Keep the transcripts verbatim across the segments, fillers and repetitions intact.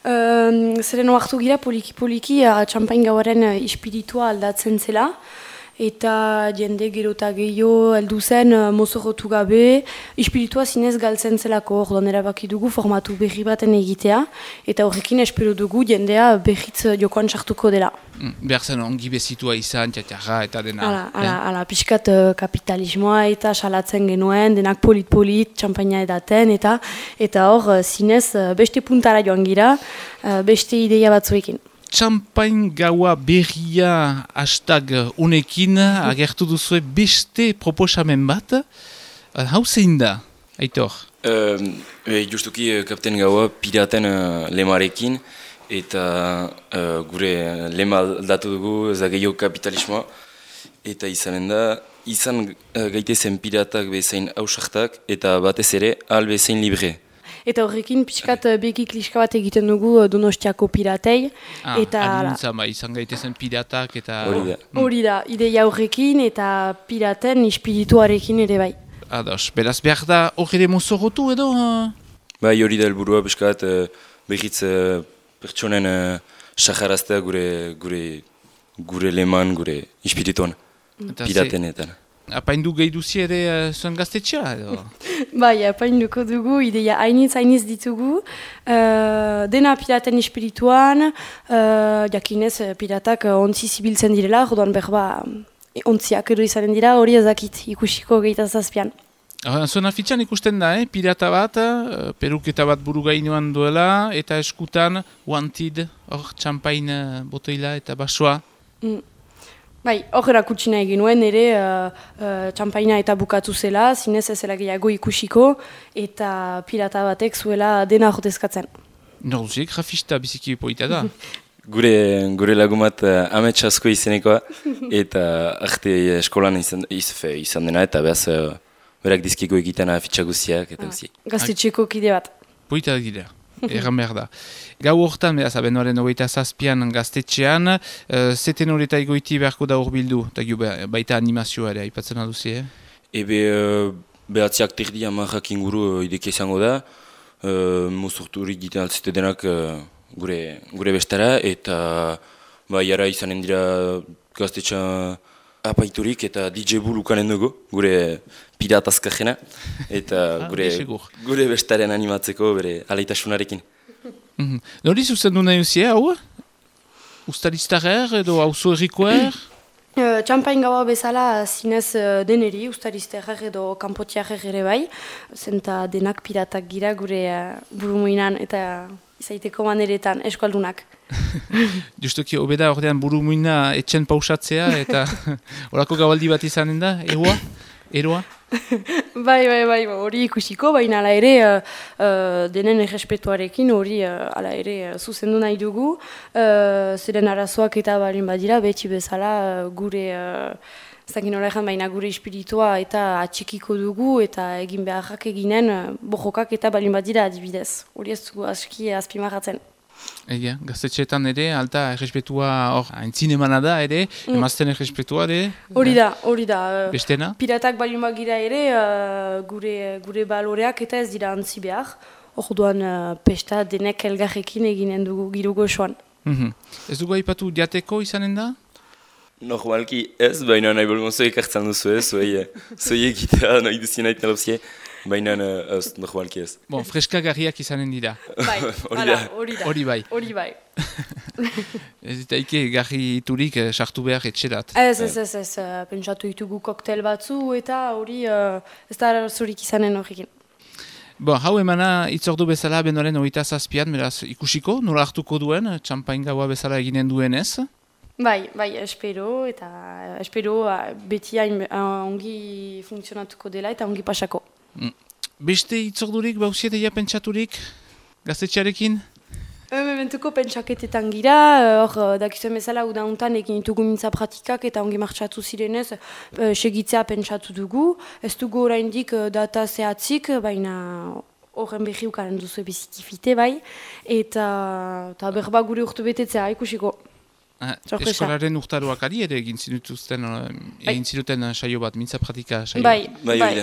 Um, zeren oartu gira poliki-poliki uh, txampain gauaren uh, espiritua aldatzen zela. Eta jende gero eta gehiago heldu zen uh, mozorrotu gabe, espiritua zinez galtzen zelako, orduan erabaki dugu formatu berri baten egitea, eta horrekin espero dugu jendea berritz jokoan sartuko dela. Mm, behar zen ongi bezitua izan, txatxarra eta dena. Hala, hala, hala, pixkat uh, kapitalismoa eta salatzen genuen, denak polit-polit, txampaina edaten, eta eta hor uh, zinez uh, beste puntara joan gira, uh, beste ideia batzuekin. Txampain gaua berria hashtag unekin agertu duzue beste proposamen bat. Hau zein da, Aitor? Uh, e, justuki uh, kapten gaua piraten uh, lemarekin eta uh, gure lema aldatu dugu zageio kapitalismoa eta izanen da izan uh, gaitezen piratak bezain hausartak eta batez ere al bezain libre. Eta horrekin pixkat begi kliska bat egiten dugu Donostiako piratei. Ah, eta adintza, ba, izan gaitezen piratak eta... Hori da. Hori da, ideia horrekin eta piraten espirituarekin ere bai. Ados, beraz behar da hori ere mozorrotu edo? Bai, hori da helburua pixkat uh, behitz uh, pertsonen uh, saharaztea gure, gure, gure leman, gure espirituan, piratenetan. Apaindu gehi duzi ere uh, zuen gaztetxea edo? Bai, apainduko dugu, ideia hainitz hainitz ditugu. Uh, dena piraten espirituan, uh, jakinez piratak ontzi zibiltzen direla, jodoan berba ontziak edo izanen dira, hori ezakit ikusiko gehieta zazpian. Zuen afitxan ikusten da, eh? Pirata bat, uh, peruketa bat buru gainuan duela, eta eskutan wanted, hor txampain uh, botoila eta basoa. Mm. Bai, hor erakutsina egin nuen ere uh, uh, txampaina eta bukatu zela, zinez ez zela gehiago ikusiko, eta pirata batek zuela dena jotezkatzen. Norduzik, grafista biziki poita da. Gure, gure lagumat uh, amets asko izenekoa, eta arte eskolan izan, izfe, izan dena, eta behaz uh, berak dizkiko egiten afitxa guziak, eta guziak. Ah, gaztetxeko kide bat. Poita dira. Erran behar da. Gau hortan, beraz, abenduaren hogeita zazpian gaztetxean, uh, zeten horreta egoiti beharko da horbildu, eta baita animazioa ere, aipatzen aduzi, eh? Ebe, uh, behatziak terdi amarrak inguru uh, ideke izango da, uh, mozorturik egiten altzete denak uh, gure, gure bestara, eta ba, jara izanen dira gaztetxean apaiturik eta D J Bull ukanen dugu, gure pirata azkajena, eta gure, gure bestaren animatzeko bere aleitasunarekin. Mm-hmm. Nori zuzen du nahi uzie, hau? Ustariztarer edo auzo errikoer? Uh, Txampain gaua bezala zinez uh, deneri, ustariztarer edo kanpotiarer ere bai, zenta denak piratak gira gure uh, burumuinan eta izaiteko maneretan eskualdunak. Justuki, obeda ordean burumuina etxen pausatzea eta horako gabaldi bat izanen da, eroa? Eroa? Bai, bai, bai, hori ikusiko, baina ala ere uh, uh, denen errespetuarekin hori uh, ala ere uh, zuzendu nahi dugu. Uh, Zeren arazoak eta balin badira, beti bezala uh, gure, uh, zakin horrean baina gure espiritua eta atxikiko dugu eta egin beharrak eginen uh, bojokak eta balin badira adibidez. Hori ez dugu aski azpimarratzen. Egia, gaztetxeetan ere, alta errespetua hor, haintzin emana da ere, mm. emazten errespetua ere. Hori da, hori da. Bestena? Piratak balin bagira ere, uh, gure, gure baloreak eta ez dira antzi behar. Orduan uh, pesta denek elgarrekin eginen dugu giro goxoan. Mm-hmm. Ez dugu aipatu diateko izanen da? Normalki ez, baina nahi bolgon zoik hartzen duzu ez, zoi egitea nahi duzien nahi tenopzie. Baina ez, normalki ez. Bon, freskagarriak izanen dira. Bai, hori da. Hori bai. Hori bai. Ez ditaike garri iturik sartu behar etxerat. Ez, ez, ez, ez. Pentsatu ditugu koktel batzu eta hori ez da zurik izanen horrekin. Bon, hau emana itzordu bezala bendoren hogeita zazpian, beraz ikusiko, nola hartuko duen, txampain gaua bezala eginen duenez? Bai, bai, espero, eta espero beti hain ongi funtzionatuko dela eta ongi pasako. Beste itzordurik, bauziet egia pentsaturik, gaztetxearekin? Mementuko pentsaketetan gira, hor dakizuen bezala uda untan egin ditugu mintza pratikak eta ongi martxatu zirenez segitzea pentsatu dugu. Ez dugu oraindik data zehatzik, baina horren berri ukaren duzu bizikifite bai, eta, eta berba gure urte betetzea ikusiko. Ah, eskolaren urtaroak ari ere egin zinutuzten, egin zinuten saio bat, mintza pratika saio bat. Bai, bai.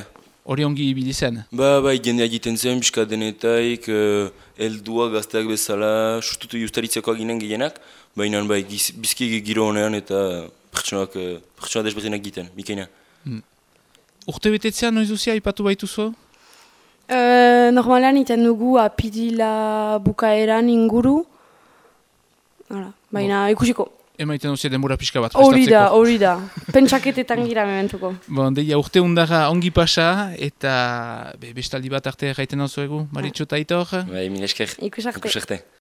hori ongi ibili zen. Ba, bai, jendea egiten zen, pixka denetaik, uh, eldua gazteak bezala, sustutu justaritzeko ginen gehienak, baina bai, giz, bizki giro honean eta pertsonak, uh, pertsonak desberdinak egiten, bikaina. Mm. Urte betetzea noiz duzia ipatu baituzu? Uh, normalean iten dugu apirila bukaeran inguru, Hala, baina bon. Ikusiko. Emaiten duzia denbora pixka bat prestatzeko. Hori da, hori da. Pentsaketetan gira mementuko. Bon, deia urte undara ongi pasa eta be, bestaldi bat arte gaiten hau zuegu, Maritxo eta Aitor. Bai, min esker. Ikusarte. Ikusarte.